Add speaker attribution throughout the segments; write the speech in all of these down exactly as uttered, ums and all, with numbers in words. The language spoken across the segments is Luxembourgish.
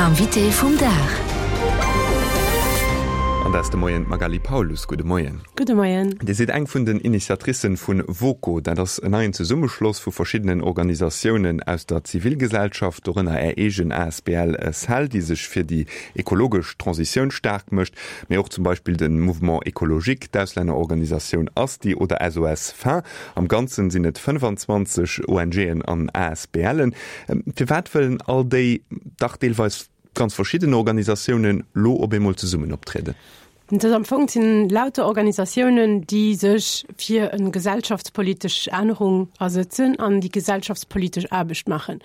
Speaker 1: Invité vum Dag.
Speaker 2: An dat ass de Moien d'Magali Paulus. Gudde Moien.
Speaker 3: Gudde Moien.
Speaker 2: Dir sidd eng vun den Initiatricen vun VoCo. Dat ass en neien Zesummeschloss vu verschiddenen Organisatiounen aus der Zivilgesellschaft, dorënner Är eegen asbl Cell, déi sech fir déi ekologesch Transitioun staark mécht, mee och zum Beispill de Mouvement Écologique, d'Auslännerorganisatioun ASTI oder SOS Faim. Am Ganzen sinn et fënnfanzwanzeg ONGen an ASBLen. Firwat wëllen all déi dach deelweis ganz verschidden Organisatiounen lo op eemol zesummen optrieden?
Speaker 3: Dat am Fong sinn lauter Organisatiounen, déi sech fir eng gesellschaftspolitesch Ännerung asëtzen an déi gesellschaftspolitesch Aarbecht maachen.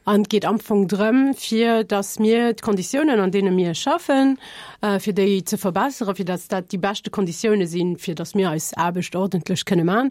Speaker 3: An et geet am Fong drëm, fir datt mir d'Konditiounen, an deene mir schaffen, fir déi ze verbesseren, fir datt dat déi beschte Konditioune sinn, fir datt mir eis Aarbecht ordentlech kënne man.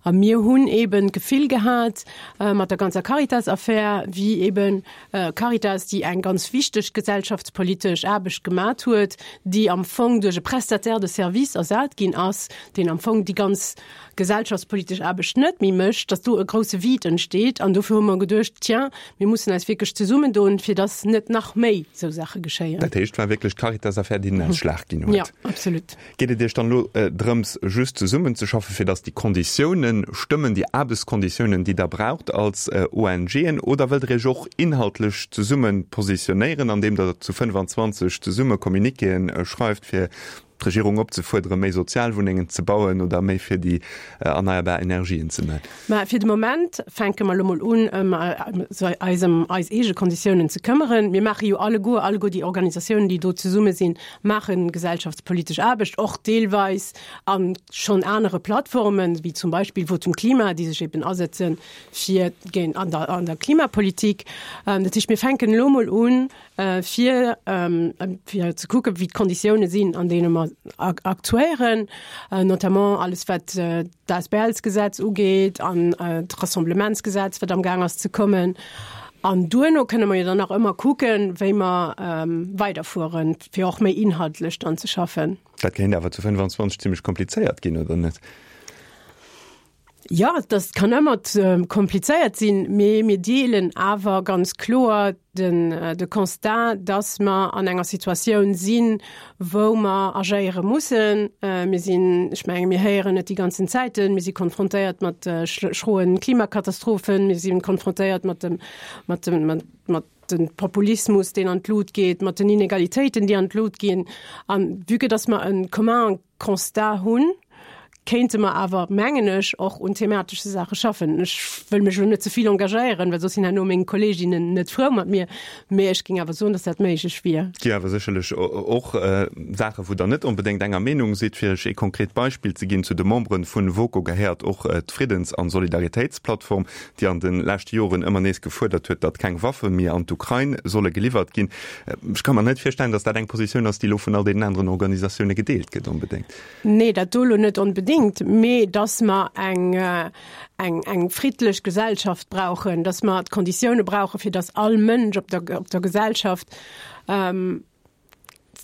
Speaker 3: A mir hunn eben d'Gefill gehat, mat der ganzer Caritas-Affär, wéi eben Caritas, déi eng ganz wichteg gesellschaftspolitesch Aarbecht gemat huet, déi am Fong duerch e Prestataire de service ersat ginn ass, deen am Fong déi ganz gesellschaftspolitesch Aarbecht net méi mécht, datt do e grousse Vide entsteet. An dofir hu mer geduecht, tiens, mir mussen eis wierklech zesummendoen, fir datt net nach méi esou Saache geschéien.
Speaker 2: Dat heescht, et war wierklech d'Caritas-Affär, déi den Ausschlag ginn huet?
Speaker 3: Jo, absolut.
Speaker 2: Geet et Iech dann elo drëms, just zesummenzeschaffen, fir datt déi Konditiounen stëmmen, déi Aarbechtskonditiounen, déi Der braucht als ONGen, oder wëllt Der Iech och inhaltlech zesumme positionéieren, andeem Der zu fënnefanzwanzeg zesumme Communiquéen schreift, fir d'Regierung opzefuerderen, méi Sozialwunnengen ze bauen oder méi fir déi erneierbar Energien ze man?
Speaker 3: Mä fir de Moment fänke mer elo mol un, ëm eis ëm eis eege Konditiounen ze këmmeren. Mir maache jo alleguer, alleguer déi Organisatiounen, déi do zesumme sinn, maache gesellschaftspolitesch Aarbecht, och deelweis a schonn anere Plattformen, wéi zum Beispill Votum Klima, déi sech eben asetze fir géint an der, an der Klimapolitik. Dat heescht, mir fänken elo mol un, fir fir ze kucken, wéi d'Konditioune sinn, an deene mer aktuéieren, notamment alles wat d'Asbls-Gesetz ugeet an d'Rassemblementsgesetz, wat amgaang ass ze kommen. An duerno kënne mer jo dann nach ëmmer kucken, wéi mer weiderfueren, fir och méi inhaltlech dann ze schaffen.
Speaker 2: Dat kéint awer zu fënnefanzwanzeg zimlech komplizéiert ginn, oder net?
Speaker 3: Jo, dat kann ëmmer komplizéiert sinn, mee mir deelen awer ganz kloer den de Constat, dass mer an enger Situatioun sinn, wou mer agéiere mussen. Mir sinn, ech menge mir héieren et déi ganzen Zäiten, mir si konfrontéiert mat schroen Klimakatastrophen, mir si konfrontéiert mat dem mat dem mat dem Populismus, deen an d'Lut geet, mat den Inegalitéiten, déi an d'Lut ginn. An vue que dass mer e commun Constat hunn, kéinte mer awer, mengen ech, och un thematesche Saache schaffen. Ech wëll mech elo net ze vill engagéieren, well soss sinn herno meng Kolleeginnen net frou mat mir, mee ech géing awer soen, dass dat méiglech wier.
Speaker 2: Et gi awer sécherlech och Saache wou Der net onbedéngt enger Meenung sidd. Fir Iech ee konkret Beispill ze ginn, Zu de Membere vun VoCo gehéiert och d'Friddens an Solidaritéitsplattform, déi an de leschte Joren ëmmer nees gefuerdert huet, datt keng Waffe méi an d'Ukrain solle geliwwert ginn. Ech ka mer net virstellen, datt dat eng Positioun ass, déi elo vun all deenen aneren Organisatioune gedeelt gëtt onbedéngt.
Speaker 3: Nee, dat do elo net onbedéngt, mee dass mer eng, eng, eng friddlech Gesellschaft brauchen, dass mer d'Konditioune brauchen, fir dass all Mënsch op der, op der Gesellschaft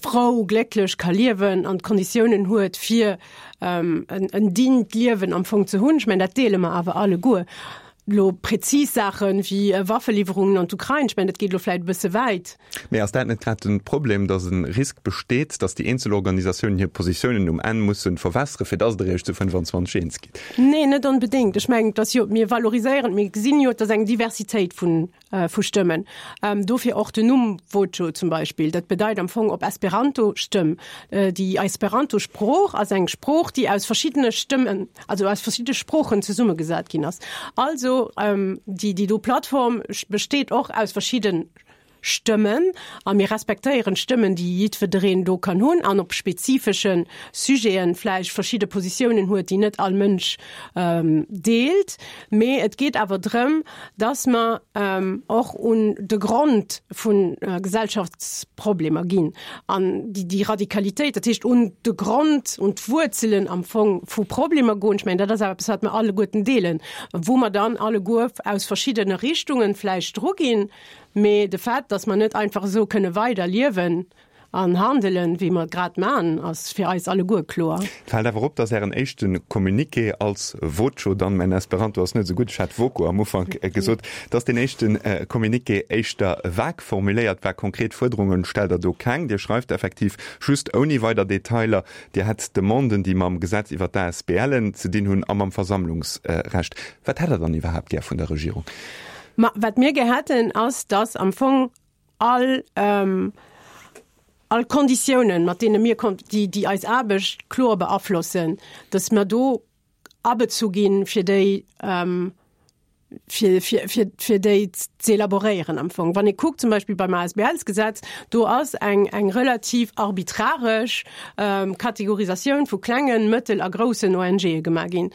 Speaker 3: frou, glécklech ka liewen an d'Konditiounen huet, fir en, en dignt Liewen am Fong ze hunn. Ech mengen, dat deele mer awer alleguer. Elo präzis Saache wéi Waffeliwwerungen an d'Ukrain, ech mengen, dat geet elo vläicht e bësse wäit.
Speaker 2: Mee ass dat net grad de Problem, datt e Risk besteet, datt déi eenzel Organisatiounen hir Positiounen um Enn musse verwässere fir datt Der Iech zu fënnefanzwanzeg eens gitt?
Speaker 3: Nee, net onbedéngt. Ech mengen, et ass jo, mir valoriséieren, mir gesinn jo, et ass eng Diversitéit vun vu Stëmmen. Dofir och den Numm Voco zum Beispill. Dat bedeit am Fong op Esperanto Stëmm. Déi Esperanto-Sprooch ass eng Sprooch, déi aus verschiddene Stëmmen, also aus verschiddene Sproochen zesummegesat ginn ass. Also déi déi do Plattform besteet och aus verschidde Stëmmen a mir respektéieren d'Stëmmen, déi jiddwereen do kann hunn an op spezifesche Sujete vläicht verschidde Positiounen huet, déi net all Mënsch deelt. Mee et geet awer drëm, dass mer och un de Grond vu Gesellschaftsproblemer ginn an déi Radikalitéit, dat heescht un de Grond, un d'Wuerzelen am Fong vu Problemer goen. Ech mengen, dat ass awer eppes, wat mer alleguerten deelen, wou mer dann alleguer aus verschiddene Richtungen vläicht druginn. Mee de Fait, dass mer net einfach esou kënne weiderliewen, an handelen, wéi mer grad man, ass fir eis alleguer kloer.
Speaker 2: Et fält awer op, dass Ären éischte Communiqué als Voco, dann, mäin Esperanto ass net esou gutt, ech hat Voko am Ufank gesot, dass deen éischte Communiqué éischter vag formuléiert war. Konkret Fuerderunge stellt Der do keng. Dir schreift effektiv just ouni weider Detailer, Dir hätt Demanden, déi mam Gesetz iwwer d'ASBLen ze dinn hunn a mam Versammlungsrecht. Wat hätt Der dann iwwerhaapt gär vun der Regierung?
Speaker 3: Ma wat mir gär hätten, ass, dass am Fong all, all Konditiounen, mat deene mir, déi, déi eis Aarbecht kloer beaflossen, dass mer do abezu ginn, fir déi, fir, fir, fir, fir déi ze elaboréieren am Fong. Wann ee kuckt zum Beispill beim ASBLs-Gesetz, do ass eng, eng relativ arbitraresch Kategorisatioun vu klengen, mëttel a groussen ONGe gemaach ginn.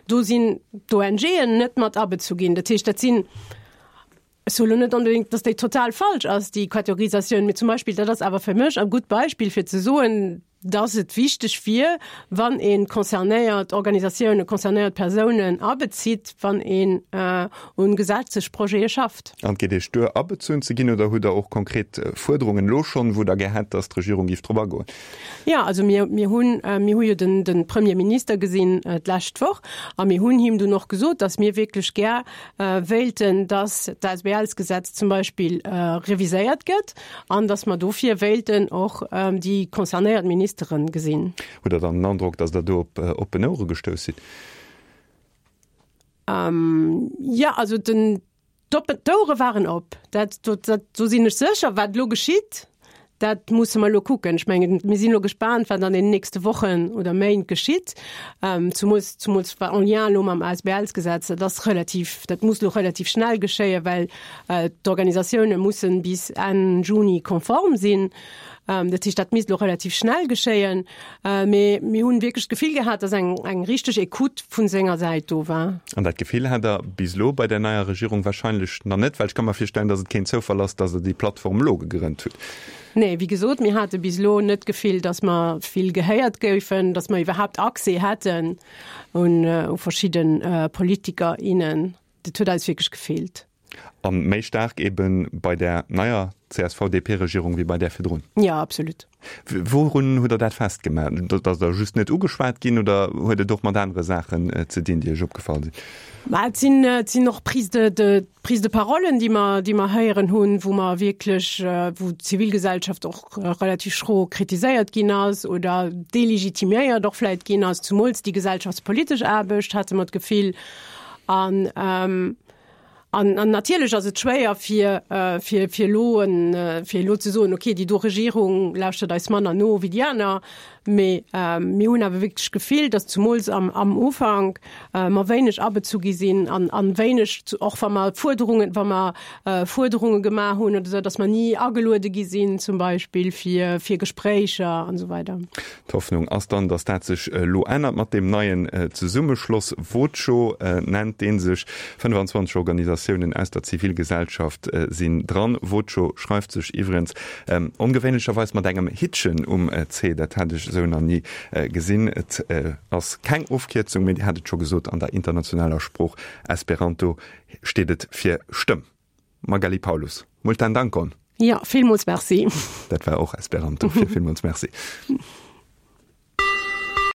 Speaker 3: Do sinn d'ONGen net mat abezu ginn. Dat heescht, dat sinn, ech soe lo net onbedéngt, dass déi total falsch ass, déi Kategorisatioun, mee zum Beispill, dat ass awer fir mech e gutt Beispill fir ze soen, dass et wichteg wier, wann ee concernéiert Organisatiounen, concernéiert Persounen abezitt, wann een un Gesetzesprojete schafft.
Speaker 2: An et geet Iech duer, abezunn ze ginn, oder hutt Der och konkret Fuerderungen elo schonn, wou Der gär hätt, dass d'Regierung géif drop agoen?
Speaker 3: Jo, also mir, mir hunn, mir hu jo den, de Premier Minister gesinn d'lescht Woch a mir hunn him dunn och gesot, dass mir wierklech gär wéilten, dass d'ASBLsgesetz zum Beispill reviséiert gëtt an dass mer dofir wéilten och déi concernéiert Ministere gesinn.
Speaker 2: Hutt Der dann den Androck, dass Der do op oppen Ouere gestouss sidd?
Speaker 3: Jo, also den, d'Ouere waren op, dat, dat, do sinn ech sécher. Wat elo geschitt, Dat musse mer elo kucken. Ech mengen, mir sinn elo gespaant, wat an den nächste Wochen oder Méint geschitt, zumools, zumools en lien elo mam ASBLs-Gesetz. Dat ass relativ, dat muss elo relativ schnell geschéien, well d'Organisatioune mussen bis Enn Juni konform sinn. Dat heescht, dat misst elo relativ schnell geschéien. Mee mir hunn wierklech d'Gefill gehat, dass eng, eng richteg Ecoute vu senger Säit do war.
Speaker 2: An dat Gefill hat Der bis elo bei der neier Regierung wahrscheinlech nach net, well ech ka mer virstellen, dass et keen Zoufall ass, dass Der déi Plattform elo gegrënnt hutt.
Speaker 3: Nee, wéi gesot, mir hate bis elo net d'Gefill, dass mer vill gehéiert goufen, dass mer iwwerhaapt Accès hätten un verschidde Politiker, innen. Dat huet eis wierklech gefeelt.
Speaker 2: A méi staark ebe bei där neier C S V-D P-Regierung wéi bei där virdrun?
Speaker 3: Jo, absolut.
Speaker 2: Wourun hutt Der dat festgemaach? Datt Der just net ugeschwat ginn oder huet et och mat anere Saachen ze dinn, déi Iech opgefall sinn?
Speaker 3: Ma et sinn, et sinn och Prises de, de, Prises de parolen, déi mer, déi mer héieren hunn, wou mer wierklech, wou d'Zivilgesellschaft och relativ schro kritiséiert ginn ass oder delegitimiéiert och vläicht ginn ass, zumools déi gesellschaftspolitesch Aarbecht, hate mer d'Gefill. An, An natierlech ass et schwéier fir fir fir elo fir elo ze soen, okay, déi do Regierung lauschtert eis manner no wéi déi aner. Mee mir hunn awer wierklech d'Gefill, datt zumools am am Ufank mer wéineg abezu gi sinn an an wéineg, och wa mer Fuerderungen, wa mer Fuerderunge gemaach hunn oder esou, datt mer ni ageluede gi sinn zum Beispill fir fir Gespréicher an esou weider.
Speaker 2: D'Hoffnung ass dann, datt dat sech elo ännert mat deem neien Zesummeschloss. Voco nennt dee sech. fënnfanzwanzeg Organisatiounen aus der Zivilgesellschaft sinn dran. Voco schreift sech iwwregens ongewéinlecherweis mat engem Hittchen um C. Dat hat ech esou nach ni gesinn. Et ass keng Ofkierzung, mee Dir hat et scho gesot, an der internationaler Sprooch Esperanto steet et fir Stëmm. Magali Paulus, multan dankon!
Speaker 3: Jo, villmools Merci.
Speaker 2: Dat war och Esperanto fir villmools Merci.